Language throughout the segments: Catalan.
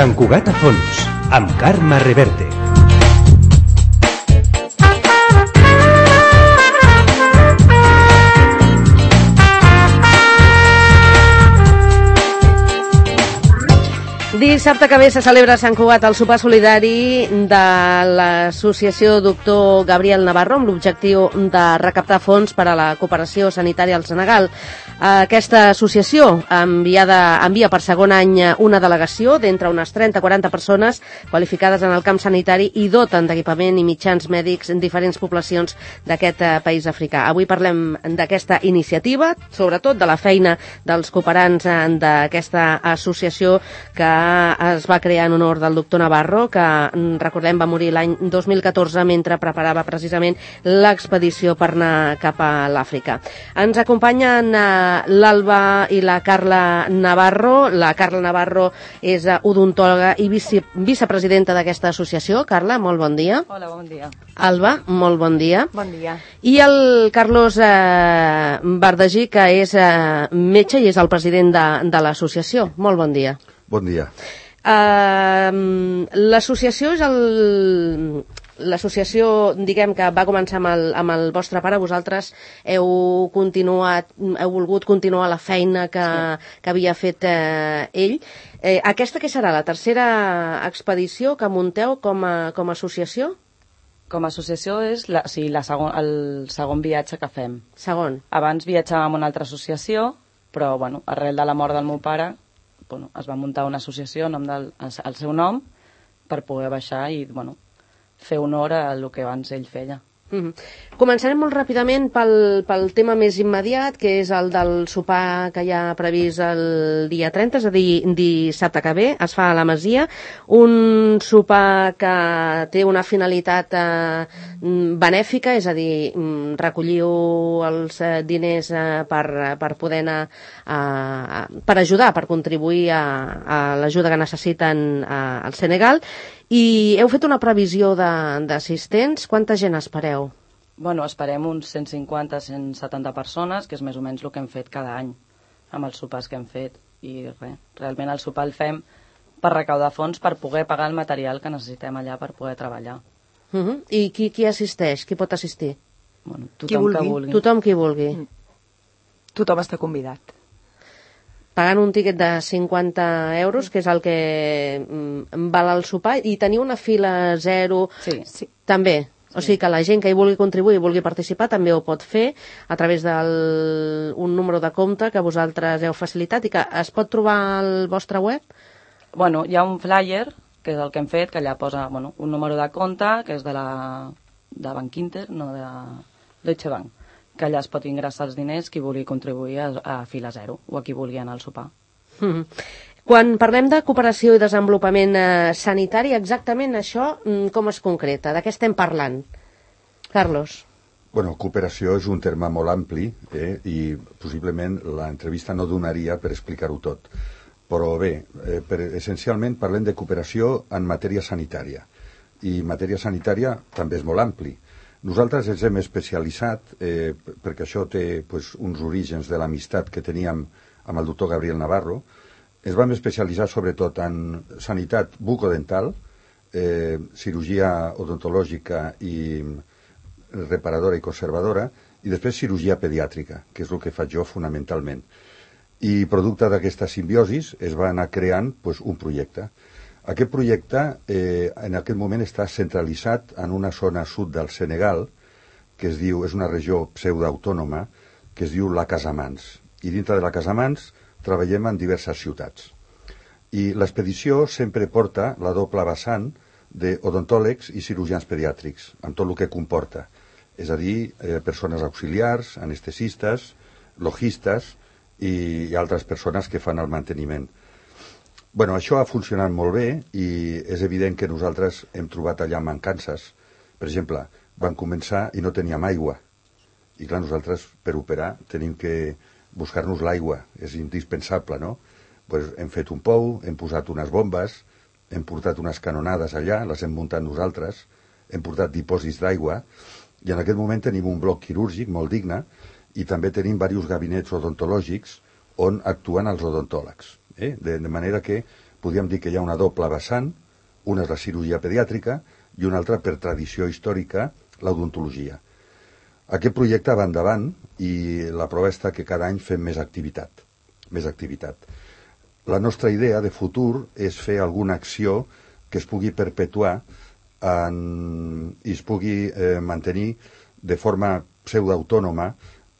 Sant Cugat a fons, amb Carme Reverte. Dissabte que ve se celebra a Sant Cugat el sopar solidari de l'associació Doctor Gabriel Navarro amb l'objectiu de recaptar fons per a la cooperació sanitària al Senegal. Aquesta associació envia per segon any una delegació d'entre unes 30-40 persones qualificades en el camp sanitari i doten d'equipament i mitjans mèdics en diferents poblacions d'aquest país africà. Avui parlem d'aquesta iniciativa, sobretot de la feina dels cooperants d'aquesta associació que es va crear en honor del doctor Navarro, que, recordem, va morir l'any 2014 mentre preparava precisament l'expedició per anar cap a l'Àfrica. Ens acompanyen l'Alba i la Carla Navarro. La Carla Navarro és odontòloga i vicepresidenta d'aquesta associació. Carla, molt bon dia. Hola, bon dia. Alba, molt bon dia. Bon dia. I el Carlos Bardagí, que és metge i és el president de l'associació. Molt bon dia. Bon dia. L'associació és l'associació, diguem, que va començar amb el vostre pare. Vosaltres heu volgut continuar la feina que havia fet ell. Aquesta què serà? La tercera expedició que munteu com a associació? Com a associació és el segon viatge que fem. Segon. Abans viatjàvem amb una altra associació, però arrel de la mort del meu pare es va muntar una associació al seu nom per poder baixar i fer honor al que abans ell feia. Començarem molt ràpidament pel tema més immediat, que és el del sopar que hi ha previst el dia 30, és a dir, dissabte que ve, es fa a la Masia, un sopar que té una finalitat benèfica, és a dir, recolliu els diners per poder anar, per ajudar, per contribuir a l'ajuda que necessiten al Senegal. I heu fet una previsió d'assistents. Quanta gent espereu? Esperem uns 150-170 persones, que és més o menys el que hem fet cada any amb els sopars que hem fet. I realment el sopar el fem per recaudar fons per poder pagar el material que necessitem allà per poder treballar. I qui assisteix? Qui pot assistir? Tothom que vulgui. Tothom qui vulgui. Tothom està convidat. Pagant un tiquet de 50 euros, que és el que val el sopar, i teniu una fila zero. Sí. També. O sigui que la gent que hi vulgui contribuir i vulgui participar també ho pot fer a través d'un número de compte que vosaltres heu facilitat i que es pot trobar al vostre web? Hi ha un flyer, que és el que hem fet, que allà posa un número de compte, que és de Banc Inter, no de Deutsche Bank, que allà es pot ingressar els diners qui vulgui contribuir a fila zero o a qui vulgui anar al sopar. Quan parlem de cooperació i desenvolupament sanitari, exactament això com es concreta? De què estem parlant? Carlos. Cooperació és un terme molt ampli i possiblement l'entrevista no donaria per explicar-ho tot. Però bé, essencialment parlem de cooperació en matèria sanitària. I matèria sanitària també és molt ampli. Nosaltres ens hem especialitzat, perquè això té uns orígens de l'amistat que teníem amb el doctor Gabriel Navarro. Ens vam especialitzar sobretot en sanitat bucodental, cirurgia odontològica i reparadora i conservadora, i després cirurgia pediàtrica, que és el que faig jo fonamentalment. I producte d'aquesta simbiosis es va anar creant un projecte. Aquest projecte en aquest moment està centralitzat en una zona sud del Senegal, que és una regió pseudoautònoma, que es diu la Casamance. I dintre de la Casamance treballem en diverses ciutats. I l'expedició sempre porta la doble vessant d'odontòlegs i cirurgians pediàtrics, amb tot el que comporta. És a dir, persones auxiliars, anestesistes, logistes i altres persones que fan el manteniment. Això ha funcionat molt bé i és evident que nosaltres hem trobat allà mancances. Per exemple, vam començar i no teníem aigua. I clar, nosaltres per operar tenim que buscar-nos l'aigua, és indispensable, no? Hem fet un pou, hem posat unes bombes, hem portat unes canonades allà, les hem muntat nosaltres, hem portat dipòsits d'aigua, i en aquest moment tenim un bloc quirúrgic molt digne i també tenim diversos gabinets odontològics on actuen els odontòlegs. De manera que podríem dir que hi ha una doble vessant, una és la cirurgia pediàtrica i una altra, per tradició històrica, l'odontologia. Aquest projecte va endavant i la prova està que cada any fem més activitat. La nostra idea de futur és fer alguna acció que es pugui perpetuar i es pugui mantenir de forma pseudoautònoma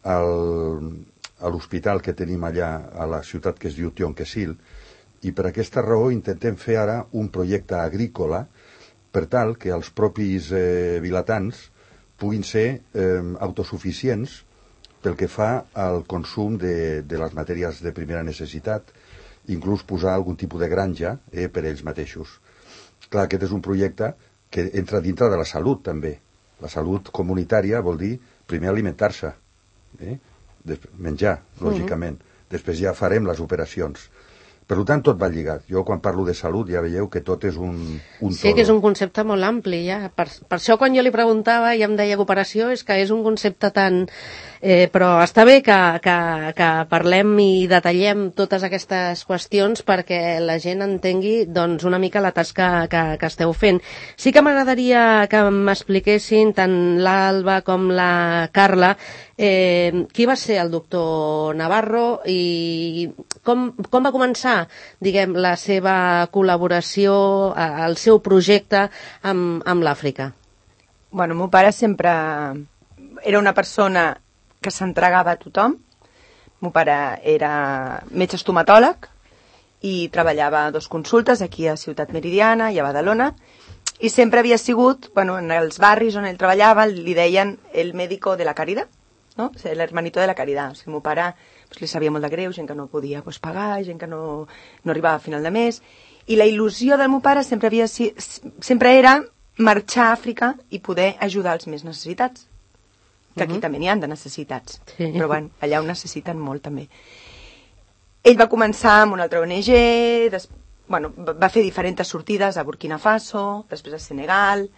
a l'hospital que tenim allà a la ciutat que es diu Tionquesil, i per aquesta raó intentem fer ara un projecte agrícola per tal que els propis vilatans puguin ser autosuficients pel que fa al consum de les matèries de primera necessitat, inclús posar algun tipus de granja per ells mateixos. Clar, aquest és un projecte que entra dintre de la salut, també. La salut comunitària vol dir primer alimentar-se, menjar, lògicament. Després ja farem les operacions. Per tant, tot va lligat. Jo, quan parlo de salut, ja veieu que tot és un Sí, que és un concepte molt ampli, ja. Per això, quan jo li preguntava i em deia cooperació, és que és un concepte tan... però està bé que parlem i detallem totes aquestes qüestions perquè la gent entengui doncs, una mica la tasca que esteu fent. Sí que m'agradaria que m'expliquessin tant l'Alba com la Carla qui va ser el doctor Navarro i com va començar, diguem, la seva col·laboració, el seu projecte amb l'Àfrica. Bueno, el meu pare sempre era una persona que s'entregava a tothom. El meu pare era metge estomatòleg i treballava a 2 consultes, aquí a Ciutat Meridiana i a Badalona, i sempre havia sigut, bueno, en els barris on ell treballava, li deien el médico de la caridad, ¿no? O sigui, l'hermanito de la caridad. O sigui, el meu pare li sabia molt de greu, gent que no podia pagar, gent que no arribava a final de mes, i la il·lusió del meu pare sempre era marxar a Àfrica i poder ajudar els més necessitats, que aquí també n'hi ha de necessitats, però bueno, allà ho necessiten molt també. Ell va començar amb una altra ONG, va fer diferents sortides a Burkina Faso, després a Senegal,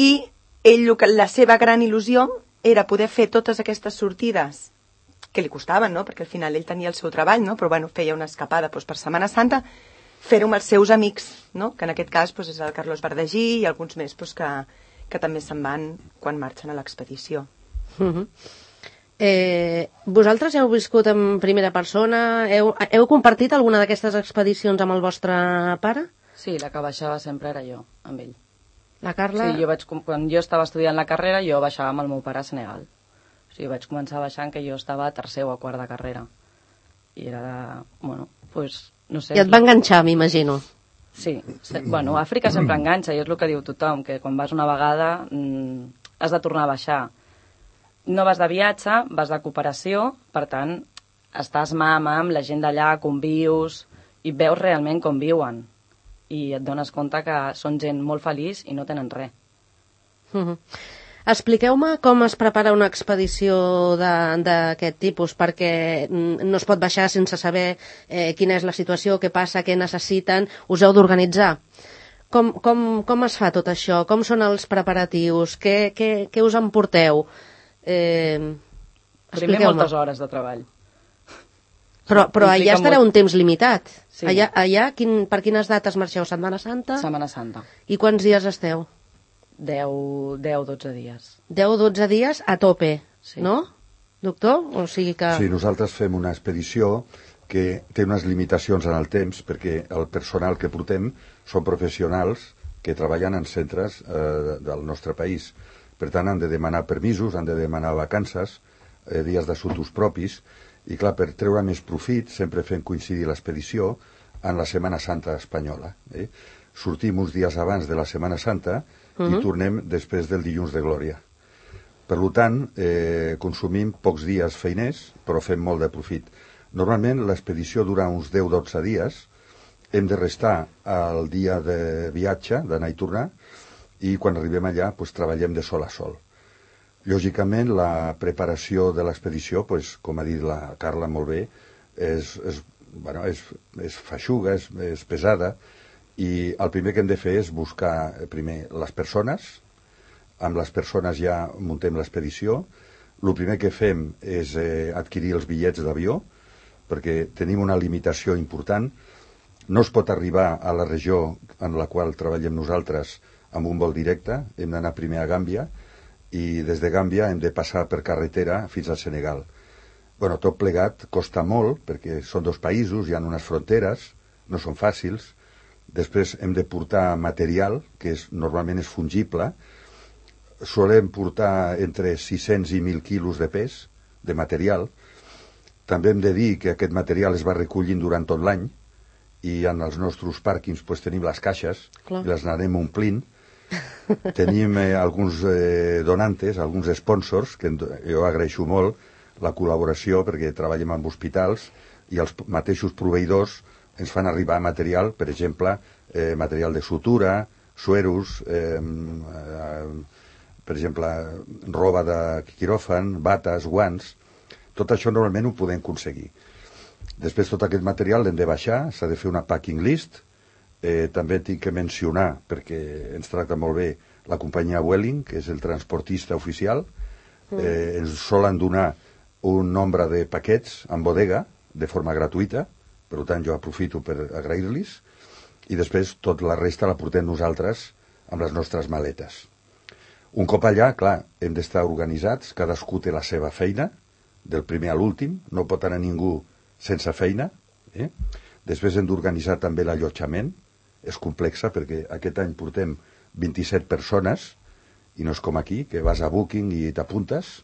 i la seva gran il·lusió era poder fer totes aquestes sortides que li costaven, no? Perquè al final ell tenia el seu treball, no? Però bueno, feia una escapada per Setmana Santa, fer-ho amb els seus amics, no? Que en aquest cas és el Carlos Bardagí i alguns més que també se'n van quan marxen a l'expedició. Vosaltres heu viscut en primera persona? Heu compartit alguna d'aquestes expedicions amb el vostre pare? Sí, la que baixava sempre era jo, amb ell. La Carla? Sí, quan jo estava estudiant la carrera, jo baixava amb el meu pare a Senegal. O sigui, vaig començar baixant que jo estava a tercer o a quart de carrera. I era, no sé... I et va enganxar, m'imagino. Sí, bueno, Àfrica sempre enganxa, i és el que diu tothom, que quan vas una vegada has de tornar a baixar. No vas de viatge, vas de cooperació, per tant, estàs mà a mà amb la gent d'allà, convius, i veus realment com viuen. I et dones compte que són gent molt feliç i no tenen res. Expliqueu-me com es prepara una expedició d'aquest tipus, perquè no es pot baixar sense saber quina és la situació, què passa, què necessiten, us heu d'organitzar. Com es fa tot això? Com són els preparatius? Què us emporteu? Primer moltes hores de treball. Però allà estarà un temps limitat. Sí. Allà per quines dates marxeu? Setmana Santa? Setmana Santa. I quants dies esteu? 10-12 dies. 10-12 dies a tope, sí. No? Doctor? O sigui que... Sí, nosaltres fem una expedició que té unes limitacions en el temps, perquè el personal que portem són professionals que treballen en centres del nostre país. Per tant, han de demanar permisos, han de demanar vacances, dies d'assumptes propis, i clar, per treure més profit, sempre fem coincidir l'expedició en la Setmana Santa espanyola. Sortim uns dies abans de la Setmana Santa i tornem després del dilluns de Glòria. Per tant, consumim pocs dies feiners, però fem molt de profit. Normalment l'expedició dura uns 10-12 dies, hem de restar el dia de viatge, d'anar i tornar, i quan arribem allà treballem de sol a sol. Lògicament, la preparació de l'expedició, com ha dit la Carla molt bé, és feixuga, és pesada, i el primer que hem de fer és buscar primer les persones. Amb les persones ja muntem l'expedició. El primer que fem és adquirir els bitllets d'avió, perquè tenim una limitació important. No es pot arribar a la regió en la qual treballem nosaltres amb un vol directe, hem d'anar primer a Gàmbia, i des de Gàmbia hem de passar per carretera fins al Senegal. Bueno, tot plegat costa molt, perquè són dos països, hi ha unes fronteres, no són fàcils. Després hem de portar material, que normalment és fungible. Solem portar entre 600 i 1.000 quilos de pes de material. També hem de dir que aquest material es va recollint durant tot l'any, i en els nostres pàrquings tenim les caixes, i les anarem omplint. Tenim alguns donantes, alguns sponsors, que jo agraeixo molt la col·laboració, perquè treballem amb hospitals i els mateixos proveïdors ens fan arribar material, per exemple, material de sutura, sueros, per exemple, roba de quiròfan, bates, guants. Tot això normalment ho podem aconseguir. Després tot aquest material l'hem de baixar, s'ha de fer una packing list. També tinc que mencionar, perquè ens tracta molt bé, la companyia Vueling, que és el transportista oficial. Ens solen donar un nombre de paquets en bodega de forma gratuïta, per tant jo aprofito per agrair-los, i després tota la resta la portem nosaltres amb les nostres maletes. Un cop allà, clar, hem d'estar organitzats, cadascú té la seva feina, del primer a l'últim, no pot anar ningú sense feina. Després hem d'organitzar també l'allotjament, és complexa perquè aquest any portem 27 persones, i no és com aquí, que vas a Booking i t'apuntes.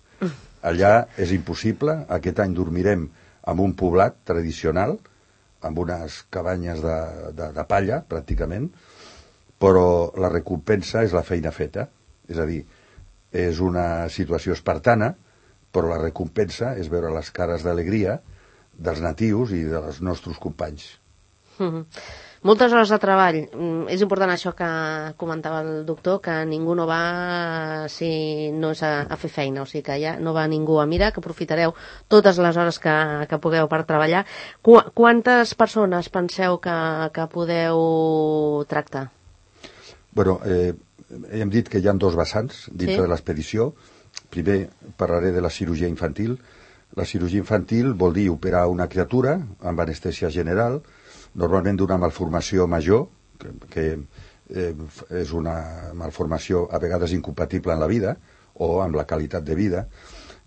Allà és impossible. Aquest any dormirem en un poblat tradicional, amb unes cabanyes de palla, pràcticament, però la recompensa és la feina feta. És a dir, és una situació espartana, però la recompensa és veure les cares d'alegria dels natius i dels nostres companys. Moltes hores de treball. És important això que comentava el doctor, que ningú no va si no és a fer feina, o sigui que ja no va ningú a mirar, que aprofitareu totes les hores que pugueu per treballar. Quantes persones penseu que podeu tractar? Bueno, hem dit que hi ha dos vessants dintre de l'expedició. Primer parlaré de la cirurgia infantil. La cirurgia infantil vol dir operar una criatura amb anestèsia general, normalment d'una malformació major, que és una malformació a vegades incompatible en la vida o amb la qualitat de vida,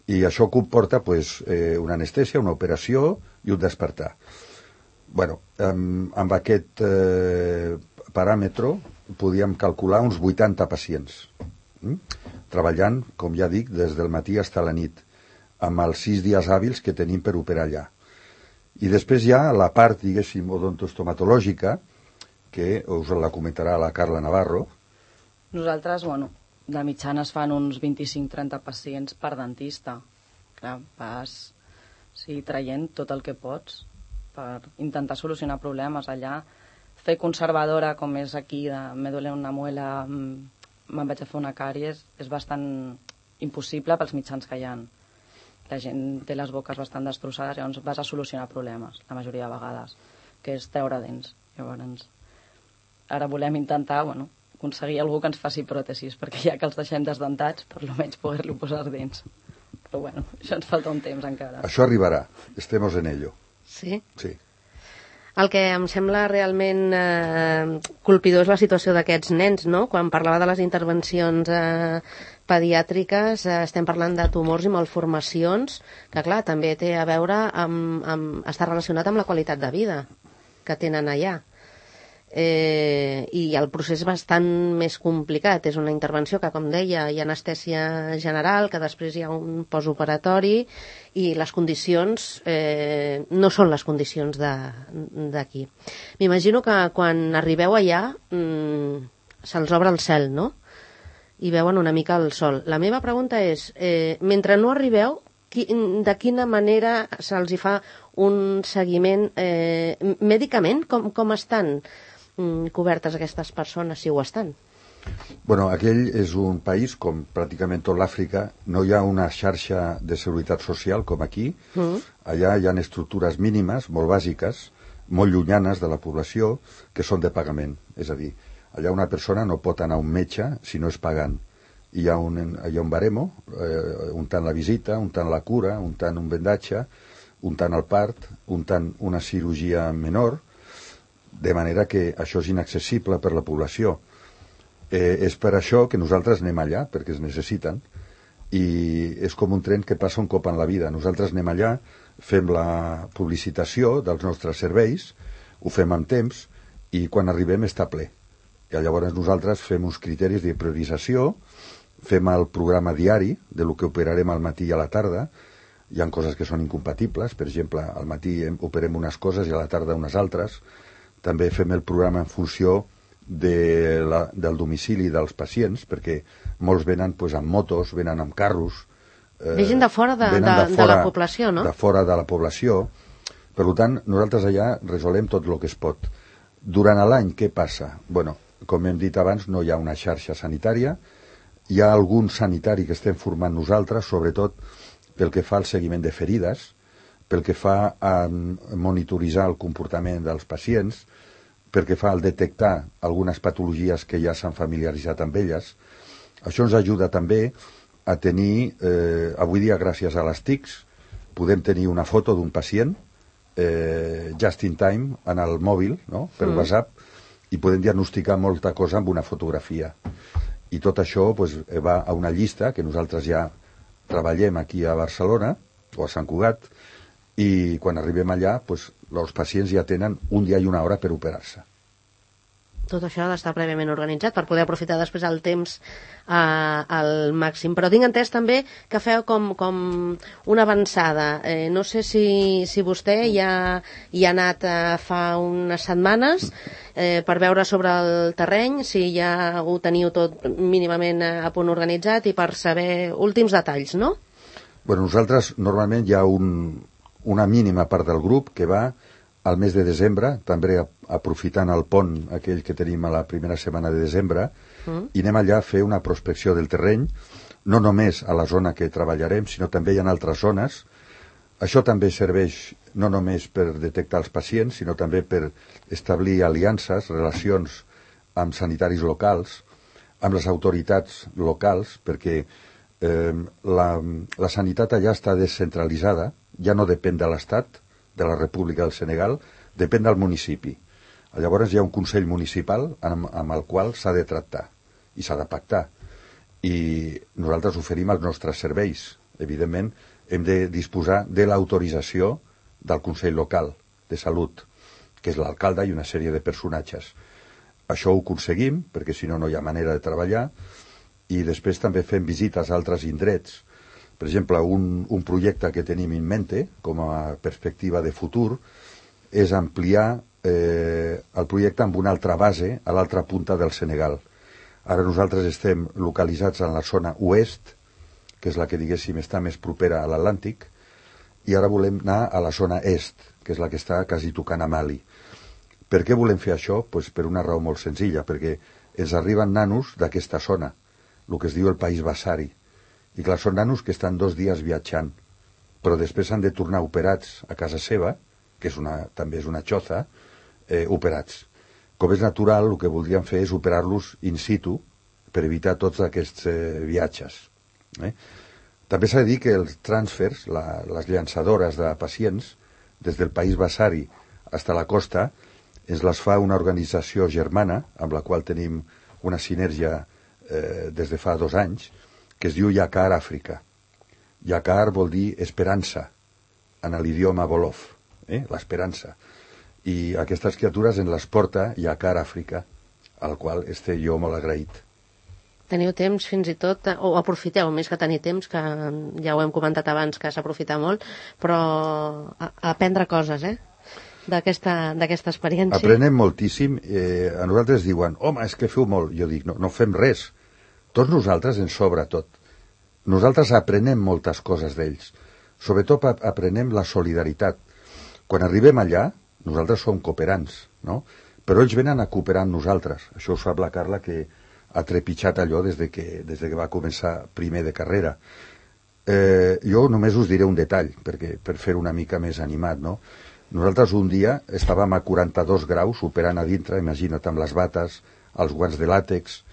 i això comporta una anestèsia, una operació i un despertar. Bueno, amb aquest paràmetre podíem calcular uns 80 pacients, treballant, com ja dic, des del matí fins a la nit, amb els 6 dies hàbils que tenim per operar allà. I després hi ha la part, diguéssim, odontostomatològica, que us la comentarà la Carla Navarro. Nosaltres, de mitjana es fan uns 25-30 pacients per dentista. Clar, vas traient tot el que pots per intentar solucionar problemes allà. Fer conservadora, com és aquí, me duele una muela, me'n vaig a fer una càries, és bastant impossible pels mitjans que hi ha. La gent té les boques bastant destrossades, llavors vas a solucionar problemes, la majoria de vegades, que és treure dents. Llavors, ara volem intentar, aconseguir algú que ens faci pròtesis, perquè ja que els deixem desdentats, per almenys poder-li posar dents. Però això ens falta un temps encara. Això arribarà, estemos en ello. Sí? Sí. El que em sembla realment colpidor és la situació d'aquests nens, no? Quan parlava de les intervencions pediàtriques, estem parlant de tumors i malformacions, que clar, també té a veure està relacionat amb la qualitat de vida que tenen allà. I el procés és bastant més complicat. És una intervenció que, com deia, hi ha anestèsia general, que després hi ha un postoperatori, i les condicions no són les condicions d'aquí. M'imagino que quan arribeu allà se'ls obre el cel, no? I veuen una mica el sol. La meva pregunta és, mentre no arribeu, de quina manera se'ls hi fa un seguiment mèdicament? Com estan cobertes aquestes persones, si ho estan? Bueno, aquell és un país, com pràcticament tot l'Àfrica, no hi ha una xarxa de seguretat social com aquí. Allà hi ha estructures mínimes, molt bàsiques, molt llunyanes de la població, que són de pagament. És a dir, allà una persona no pot anar a un metge si no és pagant. Hi ha un baremo, un tant la visita, un tant la cura, un tant un vendatge, un tant el part, un tant una cirurgia menor. de manera que això és inaccessible per la població. És per això que nosaltres anem allà, perquè es necessiten, i és com un tren que passa un cop en la vida. Nosaltres anem allà, fem la publicitació dels nostres serveis, ho fem amb temps, i quan arribem està ple. I llavors nosaltres fem uns criteris de priorització, fem el programa diari de lo que operarem al matí i a la tarda. Hi ha coses que són incompatibles, per exemple, al matí operem unes coses i a la tarda unes altres. També fem el programa en funció del domicili dels pacients, perquè molts venen amb motos, venen amb carros. Ve gent de fora de la població, no? De fora de la població. Per tant, nosaltres allà resolem tot el que es pot. Durant l'any, què passa? Bueno, com hem dit abans, no hi ha una xarxa sanitària. Hi ha algun sanitari que estem formant nosaltres, sobretot pel que fa al seguiment de ferides, pel que fa a monitoritzar el comportament dels pacients, pel que fa al detectar algunes patologies que ja s'han familiaritzat amb elles. Això ens ajuda també a tenir, avui dia gràcies a les TICs, podem tenir una foto d'un pacient just in time en el mòbil, no? Per WhatsApp, i podem diagnosticar molta cosa amb una fotografia. I tot això va a una llista que nosaltres ja treballem aquí a Barcelona o a Sant Cugat, i quan arribem allà els pacients ja tenen un dia i una hora per operar-se. Tot això ha d'estar prèviament organitzat per poder aprofitar després el temps al màxim. Però tinc entès també que feu com una avançada. No sé si vostè ja hi ha anat fa unes setmanes per veure sobre el terreny, si ja ho teniu tot mínimament a punt organitzat i per saber últims detalls, no? Bueno, nosaltres normalment hi ha una mínima part del grup que va al mes de desembre, també aprofitant el pont aquell que tenim a la primera setmana de desembre, i anem allà a fer una prospecció del terreny, no només a la zona que treballarem, sinó també hi ha altres zones. Això també serveix no només per detectar els pacients, sinó també per establir aliances, relacions amb sanitaris locals, amb les autoritats locals, perquè la sanitat allà està descentralitzada, ja no depèn de l'Estat, de la República del Senegal, depèn del municipi. Llavors hi ha un Consell Municipal amb el qual s'ha de tractar i s'ha de pactar. I nosaltres oferim els nostres serveis. Evidentment, hem de disposar de l'autorització del Consell Local de Salut, que és l'alcalde i una sèrie de personatges. Això ho aconseguim, perquè si no, no hi ha manera de treballar, i després també fem visites a altres indrets. Per exemple, un projecte que tenim en mente, com a perspectiva de futur, és ampliar el projecte amb una altra base a l'altra punta del Senegal. Ara nosaltres estem localitzats en la zona oest, que és la que, diguéssim, està més propera a l'Atlàntic, i ara volem anar a la zona est, que és la que està quasi tocant a Mali. Per què volem fer això? Per una raó molt senzilla, perquè ens arriben nanos d'aquesta zona, el que es diu el País Basari. I clar, són nanos que estan 2 dies viatjant, però després han de tornar operats a casa seva, que també és una xoza, operats. Com és natural, el que voldríem fer és operar-los in situ per evitar tots aquests viatges. També s'ha de dir que els transfers, les llançadores de pacients, des del País Basari fins a la costa, ens les fa una organització germana, amb la qual tenim una sinergia des de fa 2 anys, que es diu Yakar Àfrica. Yakar vol dir esperança, en l'idioma Wolof, l'esperança. I aquestes criatures en les porta Yakar Àfrica, al qual estic jo molt agraït. Teniu temps fins i tot, o aprofiteu, més que tenir temps, que ja ho hem comentat abans, que s'aprofita molt, però a aprendre coses, d'aquesta experiència. Aprenem moltíssim. A nosaltres diuen, home, és que feu molt. Jo dic, no fem res. Tots nosaltres ens sobra tot. Nosaltres aprenem moltes coses d'ells. Sobretot aprenem la solidaritat. Quan arribem allà, nosaltres som cooperants, no? Però ells venen a cooperar amb nosaltres. Això ho sap la Carla, que ha trepitjat allò des que va començar primer de carrera. Jo només us diré un detall, per fer una mica més animat, no? Nosaltres un dia estàvem a 42 graus operant a dintre, imagina't, amb les bates, els guants de làtex,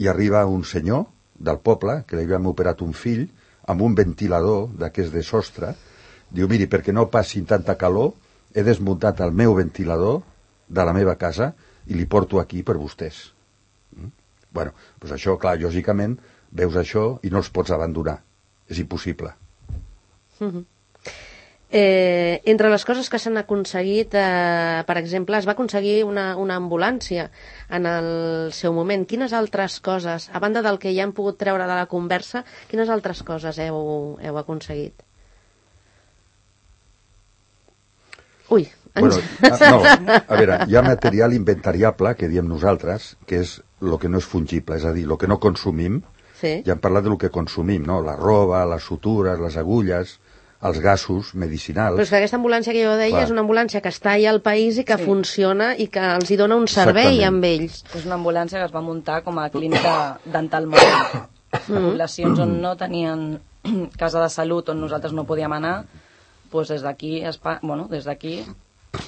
i arriba un senyor del poble, que li havíem operat un fill, amb un ventilador d'aquest de sostre. Diu, miri, perquè no passin tanta calor, he desmuntat el meu ventilador de la meva casa i li porto aquí per vostès. Bueno, doncs això, clar, lògicament, veus això i no els pots abandonar. És impossible. Entre les coses que s'han aconseguit, per exemple, es va aconseguir una ambulància en el seu moment. Quines altres coses, a banda del que ja hem pogut treure de la conversa, quines altres coses heu aconseguit? Ui, Bueno, no, a veure, hi ha material inventariable, que diem nosaltres, que és el que no és fungible, és a dir, el que no consumim. sí. Ja hem parlat del que consumim, no? La roba, les sutures, les agulles, els gasos medicinals. Però és que aquesta ambulància que jo deia Clar. és una ambulància que està allà al país i que funciona i que els hi dona un servei Exactament. amb ells. És una ambulància que es va muntar com a clínica dental mòbil. Poblacions on no tenien casa de salut, on nosaltres no podíem anar, doncs des d'aquí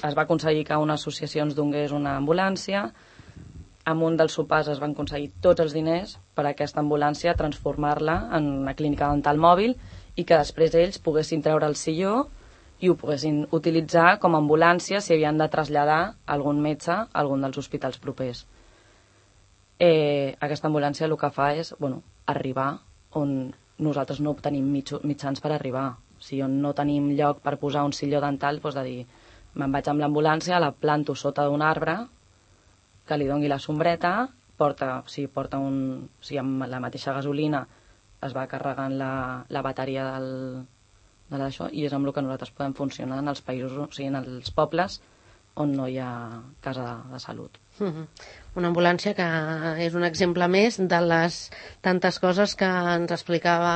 es va aconseguir que una associació ens donés una ambulància. Amb un dels sopars es van aconseguir tots els diners per a aquesta ambulància, transformar-la en una clínica dental mòbil i que després ells poguessin treure el silló i ho poguessin utilitzar com a ambulància si havien de traslladar algun metge a algun dels hospitals propers. Aquesta ambulància el que fa és arribar on nosaltres no tenim mitjans per arribar. Si on no tenim lloc per posar un silló dental, doncs de dir, me'n vaig amb l'ambulància, la planto sota d'un arbre, que li doni la sombreta, amb la mateixa gasolina es va carregant la bateria de l'això, i és amb el que nosaltres podem funcionar en els països, o sigui, en els pobles on no hi ha casa de salut. Una ambulància que és un exemple més de les tantes coses que ens explicava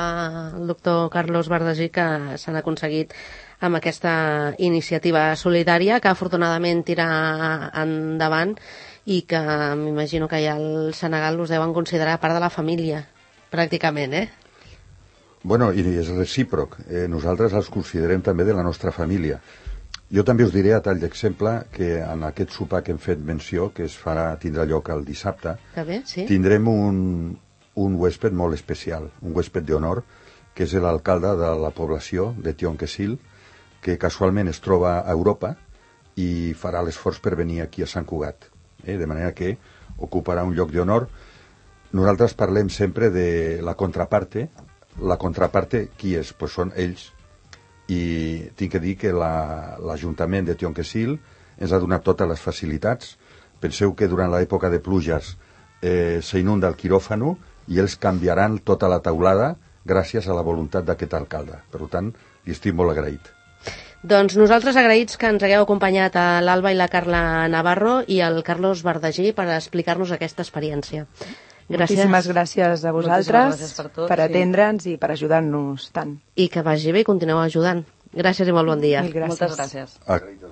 el doctor Carlos Bardagí que s'han aconseguit amb aquesta iniciativa solidària que afortunadament tira endavant i que m'imagino que ja al Senegal us deuen considerar part de la família, pràcticament, Bueno, i és recíproc. Nosaltres els considerem també de la nostra família. Jo també us diré, a tall d'exemple, que en aquest sopar que hem fet menció, que tindrà lloc el dissabte, Que bé, sí. tindrem un huésped molt especial, un huésped d'honor, que és l'alcalde de la població de Tionquesil, que casualment es troba a Europa i farà l'esforç per venir aquí a Sant Cugat. De manera que ocuparà un lloc d'honor. Nosaltres parlem sempre de la contraparte. La contraparte, qui és? Pues són ells. I tinc que dir que l'Ajuntament de Tionquesil ens ha donat totes les facilitats. Penseu que durant l'època de pluges s'inunda el quiròfano i ells canviaran tota la teulada gràcies a la voluntat d'aquest alcalde. Per tant, li estic molt agraït. Doncs nosaltres agraïts que ens hagueu acompanyat a l'Alba i la Carla Navarro i al Carlos Bardagí per explicar-nos aquesta experiència. Gràcies. Moltíssimes gràcies a vosaltres gràcies per tot, per atendre'ns i per ajudar-nos tant. I que vagi bé i continueu ajudant. Gràcies i molt bon dia. Mil gràcies. Moltes gràcies. Agraït.